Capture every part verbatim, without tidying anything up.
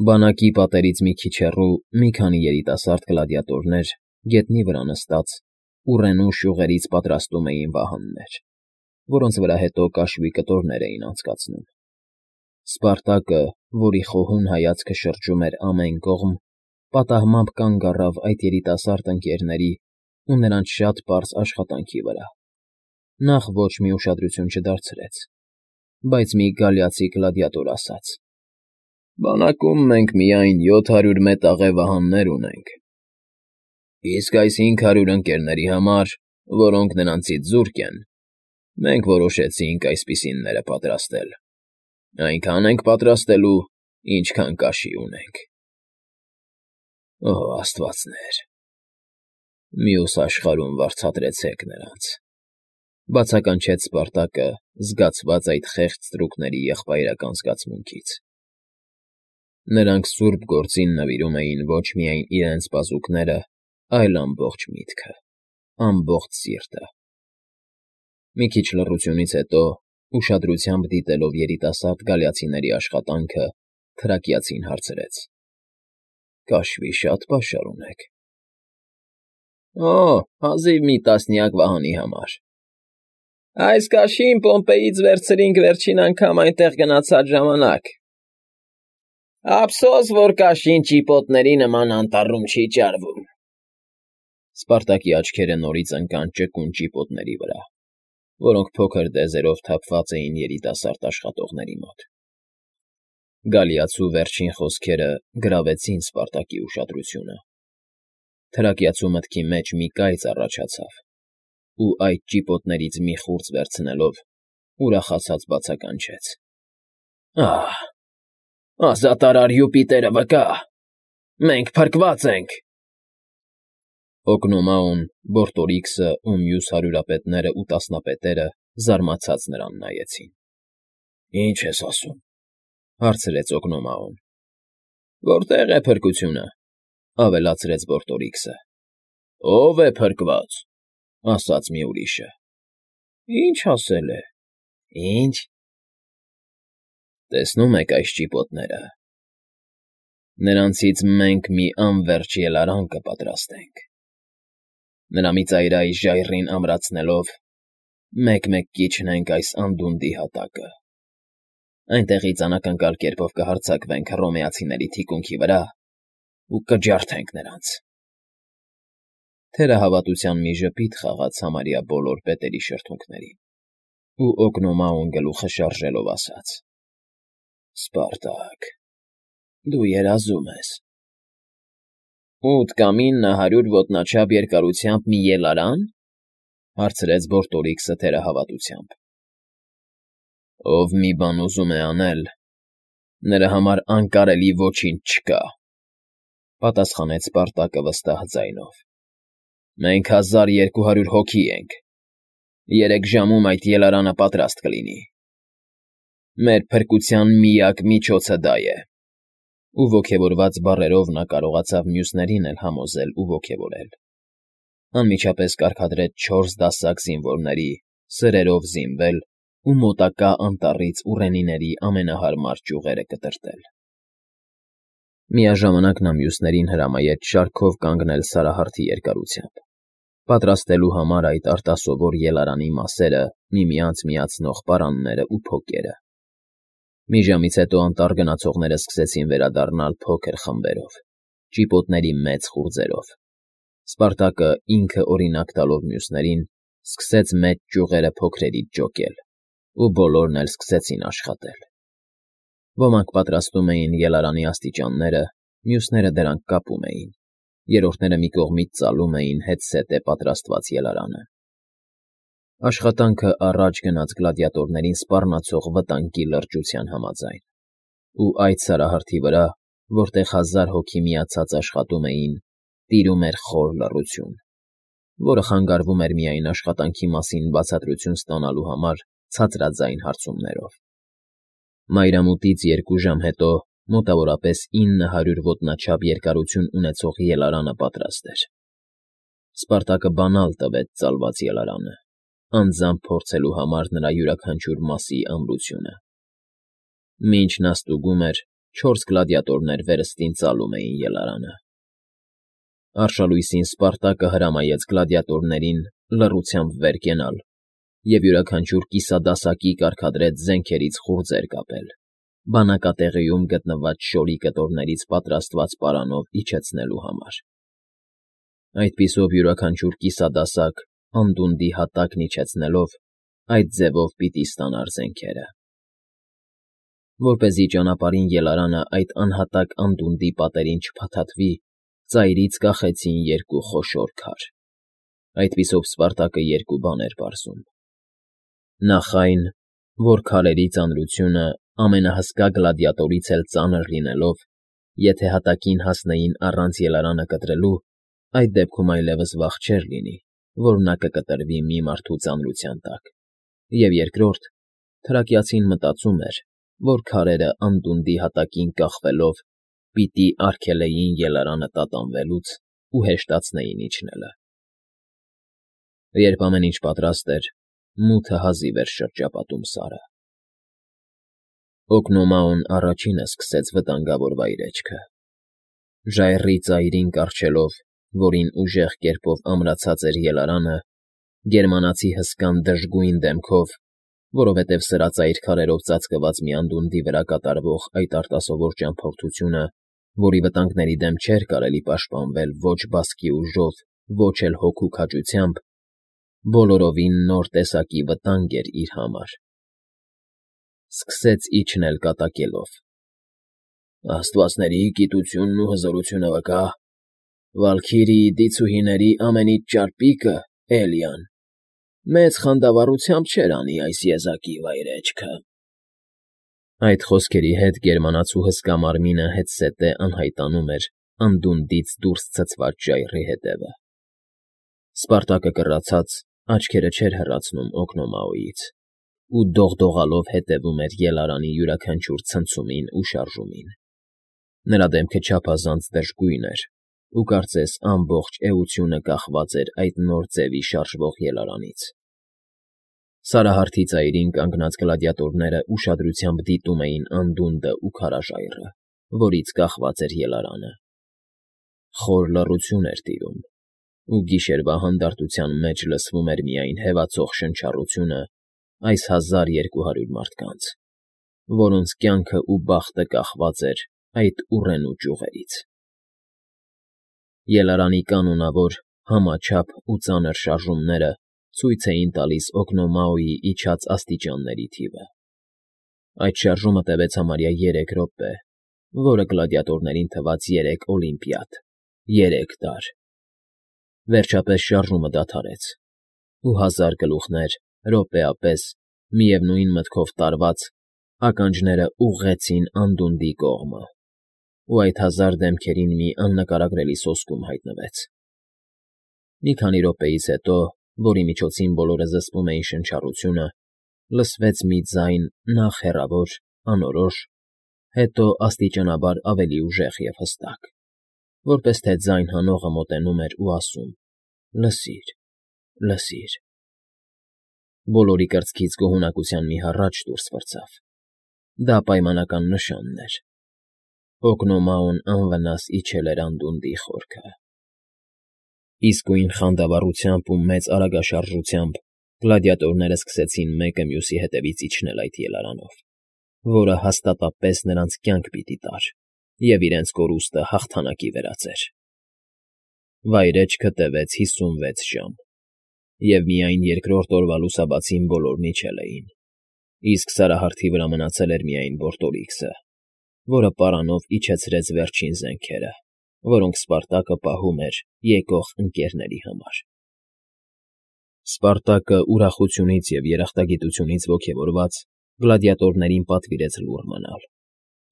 Բանակի պատերից մի քիչ հեռու մի քանի երիտասարդ գլադիատորներ, գետնի վրա նստած, ուռենու շյուղերից պատրաստում էին վահաններ, որոնց վրա հետո կաշվի կտորներ էին անցկացնում։ Սպարտակը, որի խոհուն հայացքը շրջում էր ամեն կողմ, պատահմամբ կանգ առավ այդ երիտասարդ ընկերների ու նրանց շատ պարզ աշխատանքի վրա։ Նախ ոչ մի ուշադրություն չդարձրեց, բայց մի գալիացի գլադիատոր ասաց. «Բանակում մենք միայն յոթ հարյուր մետաղե վահաններ ունենք, իսկ այս հինգ հարյուր ընկերների համար, որոնք նրանցից զուրկ են, մենք որոշեցինք այսպիսինները պատրաստել. այնքան ենք պատրաստելու, ինչքան կաշի ունենք»։ Օ աստվածներ, մյուս աշխարհում վարձատրեցեք նրանց,֊ բացականչեց Սպարտակը, զգացված այդ խեղճ ստրուկների եղբայրական զգացմունքից։ Նրանք սուրբ գործին նվիրում էին ոչ միայն իրենց բազուկները, այլ ամբողջ միտքը, ամբողջ սիրտը։ Մի քիչ լռությունից հետո, ուշադրությամբ դիտելով երիտասարդ գալիացիների աշխատանքը, թրակիացին հարցրեց. «Կաշվի շատ պաշար ունեք»։ Օ, հազիվ մի տասնյակ վահանի համար։ Այս կաշին Պոմպեյից վերցրինք վերջին անգամ այնտեղ գնացած ժամանակ։ Ափսոս, որ կաշին ճիպոտների նման անտառում չի ճարվում։ Սպարտակի աչքերը նորից ընկան ճկուն ճիպոտների վրա, որոնք փոքր դեզերով թափված էին երիտասարդ աշխատողների մոտ։ Գալիացու վերջին խոսքերը գրավեցին Սպարտակի ուշադրությունը։ Թրակիացու մտքի մեջ մի կայծ առաջացավ, ու այդ ճիպոտներից մի խուրձ վերցնելով, ուրախացած բացականչեց. «Ահ, ազատարար Յուպիտերը վկա, մենք փրկված ենք»։ Օգնոմաուն, Բորտորիքսը ու մյուս հարյուրապետներն ու տասնապետերը զարմացած նրան նայեցին։ «Ի՞նչ ես ասում,֊ հարցրեց Օգնոմաուն։ Որտե՞ղ է փրկությունը,֊ ավելացրեց Բորտորիքսը։ Ո՞վ է փրկված,֊ ասաց մի ուրիշը։ Ի՞նչ ասել է, ի՞նչ։ Տեսնում եք այս ճիպոտները, նրանցից մենք մի անվերջ ելարան կպատրաստենք։ Նրա մի ծայրահեղ ժայռին ամրացնելով, մեկ֊մեկ կիջնենք այս անդունդի հատակը, այնտեղից անակնկալ կերպով կհարձակվենք հռոմեացիների թիկունքի վրա ու կջարդենք նրանց։ Թերահավատության մի ժպիտ խաղաց համարյա բոլոր պետերի շրթունքներին, ու Օգնոմաուն գլուխը շարժելով ասաց. «Սպարտակ, դու երազում ես»։ Ութ կամ ինը հարյուր ոտնաչափ երկարությամբ մի ելարան,֊ հարցրեց Բորտորիքսը թերահավատությամբ։ Ով մի բան ուզում է անել, նրա համար անկարելի ոչինչ չկա,֊ պատասխանեց Սպարտակը վստահ ձայնով։ Մենք հազար երկու հարյուր հոգի ենք, երեք ժամում այդ ելարանը պատրաստ կլինի։ Մեր փրկության միակ միջոցը դա է։ Ու ոգևորված բառերով նա կարողացավ մյուսներին էլ համոզել ու ոգևորել։ Անմիջապես կարգադրեց չորս դասակ զինվորների, սրերով զինվել ու մոտակա անտառից ուռենիների ամենահարմար ճյուղերը կտրտել։ Միաժամանակ նա մյուսներին հրամայեց շարքով կանգնել սարահարթի երկարությամբ, պատրաստելու համար այդ արտասովոր ելարանի մասերը միմյանց միացնող պարաններն ու փոկերը։ Մի ժամից հետո անտառ գնացողները սկսեցին վերադառնալ փոքր խմբերով, ճիպոտների մեծ խուրձերով։ Սպարտակը, ինքը օրինակ տալով մյուսներին, սկսեց մեծ ճյուղերը փոքրերից ջոկել, ու բոլորն էլ սկսեցին աշխատել։ Ոմանք պատրաստում էին ելարանի աստիճանները, մյուսները դրանք կապում էին, երրորդները մի կողմից ծալում էին հետզհետե պատրաստված ելարանը։ Աշխատանքը առաջ գնաց գլադիատորներին սպառնացող վտանգի լրջության համաձայն, ու այդ սարահարթի վրա, որտեղ հազար հոգի միացած աշխատում էին, տիրում էր խոր լռություն, որը խանգարվում էր միայն աշխատանքի մասին բացատրություն ստանալու համար ցածրաձայն հարցումներով։ Մայրամուտից երկու ժամ հետո մոտավորապես ինը հարյուր ոտնաչափ երկարություն ունեցող ելարանը պատրաստ էր։ Սպարտակը բանալ տվեց ծալված ելարանը, անձամբ փորձելու համար նրա յուրաքանչյուր մասի ամրությունը։ Մինչ նա ստուգում էր, չորս գլադիատորներ վերստին ծալում էին ելարանը։ Արշալույսին Սպարտակը հրամայեց գլադիատորներին լռությամբ վեր կենալ և յուրաքանչյուր կիսադասակի կարգադրեց զենքերից խուրձեր կապել, բանակատեղիում գտնված շորի կտորներից պատրաստված պարանով իջեցնելու համար։ Այդպիսով յուրաքանչյուր կիսադասակ անդունդի հատակն իջեցնելով այդ ձևով պիտի ստանար զենքերը։ Որպեսզի ճանապարհին ելարանը այդ անհատակ անդունդի պատերին չփաթաթվի, ծայրից կախեցին երկու խոշոր քար։ Այդպիսով Սպարտակը երկու բան էր պարզում. նախ այն, որ քարերի ծանրությունը ամենահսկա գլադիատորից էլ ծանր լինելով, եթե հատակին հասնեին առանց ելարանը կտրելու, այդ դեպքում այլևս վաղ չէր լինի, որ նա կկտրվի մի մարդու ծանրության տակ, և երկրորդ, թրակիացին մտածում էր, որ քարերը անդունդի հատակին կախվելով պիտի արգելեին ելարանը տատանվելուց ու հեշտացնեին իջնելը։ Երբ ամեն ինչ պատրաստ էր, մութը հազիվ էր շրջապատում Սարը։ Օկնոմաոն առաջինը սկսեց վտանգավոր վայրէջքը։ Ժայռի ծայրին կառչելով, որին ուժեղ կերպով ամրացած էր ելարանը, գերմանացի հսկան դժգույն դեմքով, որովհետև սրածայր քարերով ծածկված մի անդունդի վրա կատարվող այդ արտասովոր ճամփորդությունը, որի վտանգների դեմ չէր կարելի պաշտպանվել ոչ բասկի ուժով, ոչ էլ հոգու քաջությամբ, բոլորովին նոր տեսակի վտանգ էր իր համար, սկսեց իջնել կատակելով. «Աստվածների գիտությունն ու հզորությունը վկա, Վալքիրիի դիցուհիների ամենից ճարպիկը, Էլիան, մեծ խանդավառությամբ չէր անի այս եզակի վայրէջքը»։ Այդ խոսքերի հետ գերմանացու հսկա մարմինը հետզհետե անհայտանում էր անդունդից դուրս ցցված ժայռի հետևը։ Սպարտակը կռացած աչքերը չէր հեռացնում Օկնոմաոյից ու դողդողալով հետևում էր ելարանի յուրաքանչյուր ցնցումին ու շարժումին։ Նրա դեմքը չափազանց դժգույն էր ու կարծես ամբողջ էությունը կախված էր այդ նոր ձևի շարժվող ելարանից։ Սարահարթի ծայրին կանգնած գլադիատորները ուշադրությամբ դիտում էին անդունդը ու քարաժայռը, որից կախված էր ելարանը։ Խոր լռություն էր տիրում, ու գիշերվա հանդարտության մեջ լսվում էր միայն հևացող շնչառությունը այս հազար երկու հարյուր մարդկանց, որոնց կյանքն ու բախտը կախված էր այդ ուռենու ճյուղերից։ Ելարանի կանոնավոր, համաչափ ու ծանր շարժումները ցույց էին տալիս Օկնոմաոյի իջած աստիճանների թիվը։ Այդ շարժումը տևեց համարյա երեք րոպե, որը գլադիատորներին թվաց երեք օլիմպիադ, երեք տարի։ Վերջապես շարժումը դադարեց, ու հազար գլուխներ, րոպեապես, միևնույն մտքով տարված, ականջները ուղղեցին անդունդի կողմը, ու այդ հազար դեմքերին մի աննկարագրելի սոսկում հայտնվեց։ Մի քանի րոպեից հետո, որի միջոցին բոլորը զսպում էին շնչառությունը, լսվեց մի ձայն նախ հեռավոր, անորոշ, հետո աստիճանաբար ավելի ուժեղ և հստակ, որպես թե ձայն հանողը մոտենում էր ու ասում. «Լսիր, լսիր»։ Բոլորի կրծքից գոհունակության մի հառաչ դուրս պրծավ։ Դա պայմանական նշանն էր. Օկնոմաոն անվնաս իջել էր անդունդի խորքը։ Իսկույն խանդավառությամբ ու մեծ արագաշարժությամբ գլադիատորները սկսեցին մեկը մյուսի հետևից իջնել այդ ելարանով, որը հաստատապես նրանց կյանք պիտի տար և իրենց կորուստը հաղթանակի վերածեր։ Վայրէջքը տևեց հիսունվեց ժամ, և միայն երկրորդ օրվա լուսաբացին բոլորն իջել էին, իսկ սարահարթի վրա մնացել էր միայն Բորտորիքսը, որը պարանով իջեցրեց վերջին զենքերը, որոնք Սպարտակը պահում էր եկող ընկերների համար։ Սպարտակը ուրախությունից և երախտագիտությունից ոգևորված գլադիատորներին պատվիրեց լուռ մնալ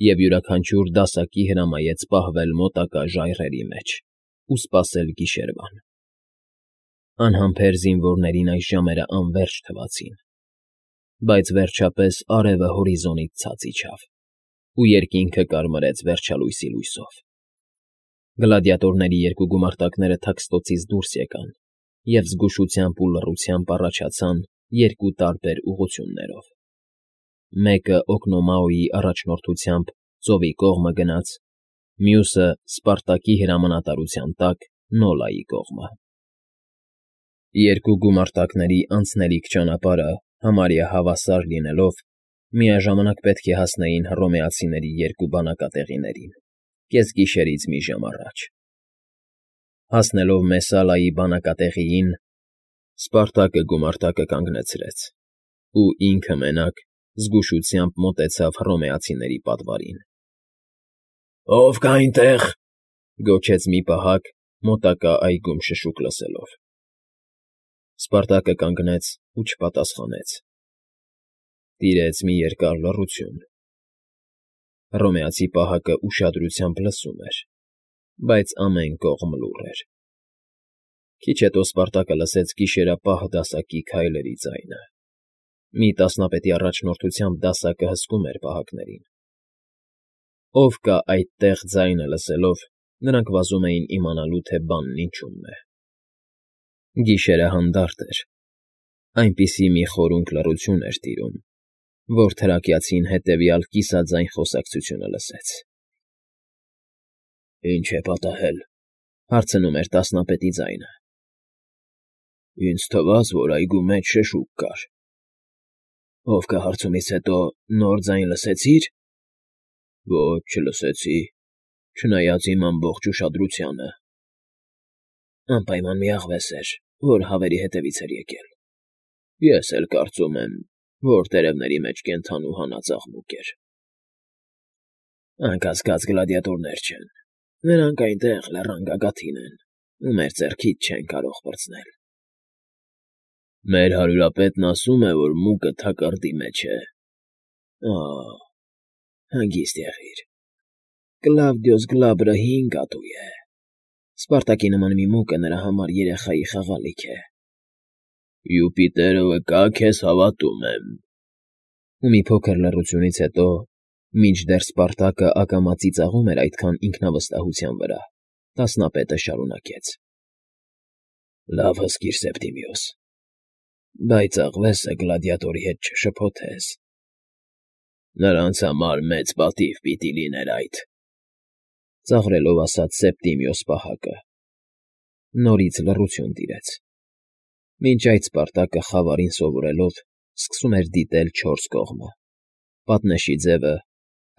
և յուրաքանչյուր դասակի հրամայեց պահվել մոտակա ժայռերի մեջ ու սպասել գիշերվան։ Անհամբեր զինվորներին այս ժամերը անվերջ թվացին, բայց վերջապես արևը հորիզոնից ցած իջավ, ու երկինքը կարմրեց վերջալույսի լույսով։ Գլադիատորների երկու գումարտակները թաքստոցից դուրս եկան և զգուշությամբ ու լռությամբ առաջացան երկու տարբեր ուղղություններով։ Մեկը Օկնոմաոյի առաջնորդությամբ ծովի կողմը գնաց, մյուսը Սպարտակի հրամանատարության տակ Նոլայի կողմը։ Երկու գումարտակների անցնելիք ճանապարհը համարյա հավասար լինելով, միաժամանակ պետք է հասնեին հռոմեացիների երկու բանակատեղիներին, կեսգիշերից մի ժամ առաջ։ Հասնելով Մեսալայի բանակատեղիին, Սպարտակը գումարտակը կանգնեցրեց, ու ինքը մենակ զգուշությամբ մոտեցավ հռոմեացիների պատվարին։ ֊ Ո՞վ կա այնտեղ,֊ գոչեց մի պահակ, մոտակա այգում շշուկ լսելով։ Սպարտակը կանգնեց ու չպատասխանեց։ Տիրեց մի երկար լռություն։ Հռոմեացի պահակը ուշադրությամբ լսում էր, բայց ամեն կողմ լուռ էր։ Քիչ հետո Սպարտակը լսեց գիշերապահ դասակի քայլերի ձայնը։ Մի տասնապետի առաջնորդությամբ դասակը հսկում էր պահակներին։ Ով կա այդտեղ ձայնը լսելով, նրանք վազում էին իմանալու, թե բանն ինչու՞մն է։ Գիշերը հանդարտ էր, այնպիսի մի խորունկ լռություն էր տիրում, որ թրակյացին հետևյալ կիսաձայն խոսակցությունը լսեց։ ֊ Ի՞նչ է պատահել,֊ հարցնում էր տասնապետի ձայնը։ ֊ Ինձ թվաց, որ այգու մեջ շշուկ կար։ ֊ Ով կա հարցումից հետո նոր ձայն լսեցի՞ր։ ֊ Ոչ, չլսեցի, չնայած իմ ամբողջ ուշադրությանը։ ֊ Անպայման մի աղվես էր, որ հավերի հետևից էր եկել։ Ես էլ կարծում եմ, որ տերևների մեջ կենդանու հանած աղմուկ էր։ ֊ Անկասկած գլադիատորներ չեն, նրանք այնտեղ լեռան գագաթին են ու մեր ձեռքից չեն կարող պրծնել։ ֊ Մեր հարյուրապետն ասում է, որ մուկը թակարդի մեջ է։ ֊ Ա՜, հանգիստ եղիր, Կլավդիոս Գլաբրը հին կատու է։ Սպարտակի նման մի մուկը նրա համար երեխայի խաղալիք է։ ֊ Յուպիտերը վկա, քեզ հավատում եմ։ Ու մի փոքր լռությունից հետո, մինչդեռ Սպարտակը ակամա ծիծաղում էր այդքան ինքնավստահության վրա, տասնապետը շարունակեց. ֊ Լավ հսկիր, Սեպտիմիոս, բայց աղվեսը գլադիատորի հետ չշփոթես։ ֊ Նրանց համար մեծ պատիվ պիտի լիներ այդ,֊ ծաղրելով ասաց Սեպտիմիոս պահակը։ Նորից լռություն տիրեց։ Մինչ այդ Սպարտակը, խավարին սովորելով, սկսում էր դիտել չորս կողմը՝ պատնեշի ձևը,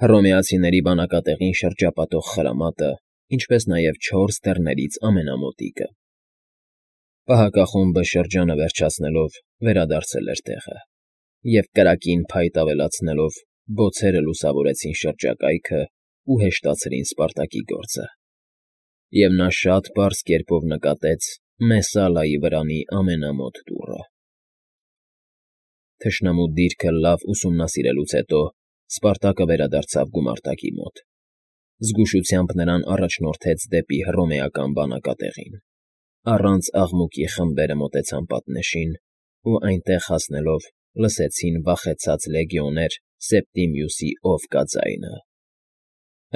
հռոմեացիների բանակատեղին շրջապատող խրամատը, ինչպես նաև չորս դռներից ամենամոտիկը։ Պահակախումբը շրջանը վերջացնելով վերադարձել էր տեղը, և կրակին փայտ ավելացնելով բոցերը լուսավորեցին շրջակայքը ու հեշտացրին Սպարտակի գործը, և նա շատ պարզ կերպով նկատեց Մեսալայի վրանի ամենամոտ դուռը։ Թշնամու դիրքը լավ ուսումնասիրելուց հետո Սպարտակը վերադարձավ գումարտակի մոտ։ Զգուշությամբ նրան առաջնորդեց դեպի հռոմեական բանակատեղին։ Առանց աղմուկի խմբերը մոտեցան պատնեշին ու այնտեղ հասնելով լսեցին վախեցած լեգիոներ Սեպտիմիուսի «Ով կա» ձայնը։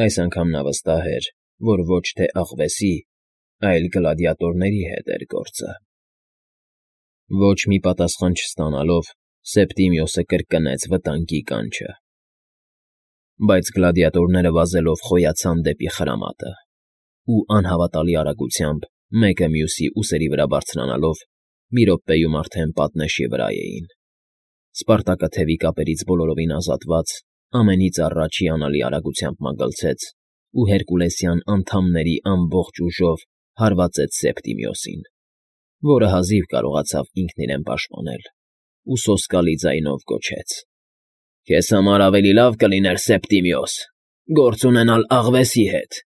Այս անգամ նա վստահ էր, որ ոչ թե աղվեսի, այլ գլադիատորների հետ էր գործը։ Ոչ մի պատասխան չստանալով, Սեպտիմիոսը կրկնեց վտանգի կանչը։ Բայց գլադիատորները վազելով խոյացան դեպի խրամատը, ու անհավատալի արագությամբ, մեկը մյուսի ուսերի վրա բարձրանալով, մի րոպեում արդեն պատնեշի վրա էին։ Սպարտակը թևի կապերից բոլորովին ազատված, ամենից առաջ հիանալի արագությամբ մագլցեց ու հերկուլեսյան անդամների ամբողջ ուժով հարվածեց Սեպտիմիոսին, որը հազիվ կարողացավ ինքն իրեն պաշտպանել, ու սոսկալի ձայնով գոչեց. ֊ Քեզ համար ավելի լավ կլիներ, Սեպտիմիոս, գործ ունենալ աղվեսի հետ,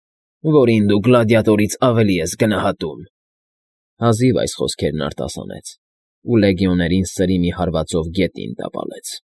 որին դու գլադիատորից ավելի ես գնահատում։ Հազիվ այս խոսքերն արտասանեց, ու լեգիոներին սրի մի հարվածով գետին տապալեց։